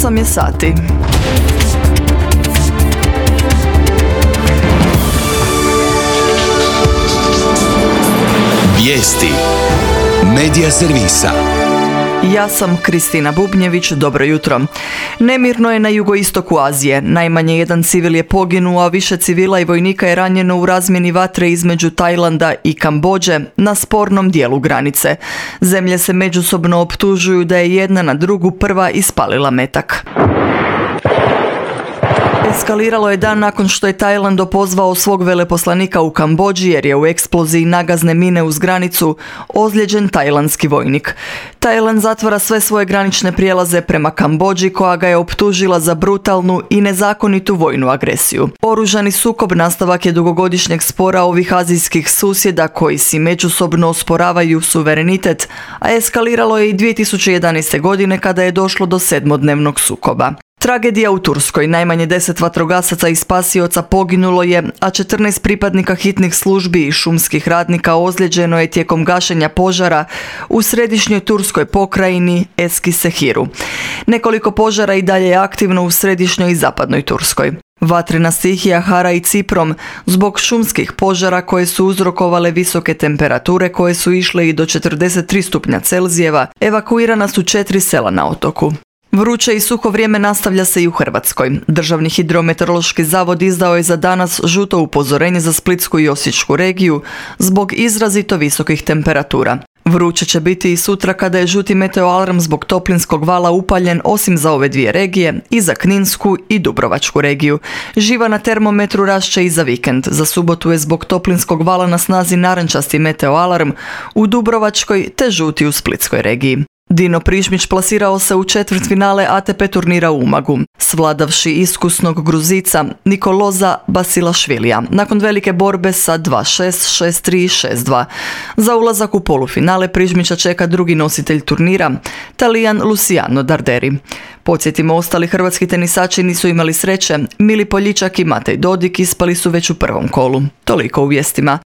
8 je sati. Vijesti Medija servisa. Ja sam Kristina Bubnjević, dobro jutro. Nemirno je na jugoistoku Azije. Najmanje jedan civil je poginuo, a više civila i vojnika je ranjeno u razmjeni vatre između Tajlanda i Kambodže na spornom dijelu granice. Zemlje se međusobno optužuju da je jedna na drugu prva ispalila metak. Eskaliralo je dan nakon što je Tajland opozvao svog veleposlanika u Kambodži jer je u eksploziji nagazne mine uz granicu ozlijeđen tajlandski vojnik. Tajland zatvara sve svoje granične prijelaze prema Kambodži koja ga je optužila za brutalnu i nezakonitu vojnu agresiju. Oružani sukob nastavak je dugogodišnjeg spora ovih azijskih susjeda koji si međusobno osporavaju suverenitet, a eskaliralo je i 2011. godine kada je došlo do 7-dnevnog sukoba. Tragedija u Turskoj. Najmanje 10 vatrogasaca i spasioca poginulo je, a 14 pripadnika hitnih službi i šumskih radnika ozlijeđeno je tijekom gašenja požara u središnjoj turskoj pokrajini Eskisehiru. Nekoliko požara i dalje je aktivno u središnjoj i zapadnoj Turskoj. Vatrena stihija hara i Ciprom zbog šumskih požara koje su uzrokovale visoke temperature koje su išle i do 43 stupnja Celzijeva, evakuirana su 4 sela na otoku. Vruće i suho vrijeme nastavlja se i u Hrvatskoj. Državni hidrometeorološki zavod izdao je za danas žuto upozorenje za Splitsku i Osječku regiju zbog izrazito visokih temperatura. Vruće će biti i sutra kada je žuti meteoalarm zbog toplinskog vala upaljen osim za ove dvije regije i za Kninsku i Dubrovačku regiju. Živa na termometru rašće i za vikend. Za subotu je zbog toplinskog vala na snazi narančasti meteoalarm u Dubrovačkoj te žuti u Splitskoj regiji. Dino Prižmić plasirao se u četvrtfinale ATP turnira u Umagu, svladavši iskusnog Gruzica Nikoloza Basilašvilija, nakon velike borbe sa 2-6, 6-3 i 6-2. Za ulazak u polufinale Prižmića čeka drugi nositelj turnira, Talijan Luciano Darderi. Podsjetimo, ostali hrvatski tenisači nisu imali sreće, Mili Poljičak i Matej Dodik ispali su već u prvom kolu. Toliko u vijestima.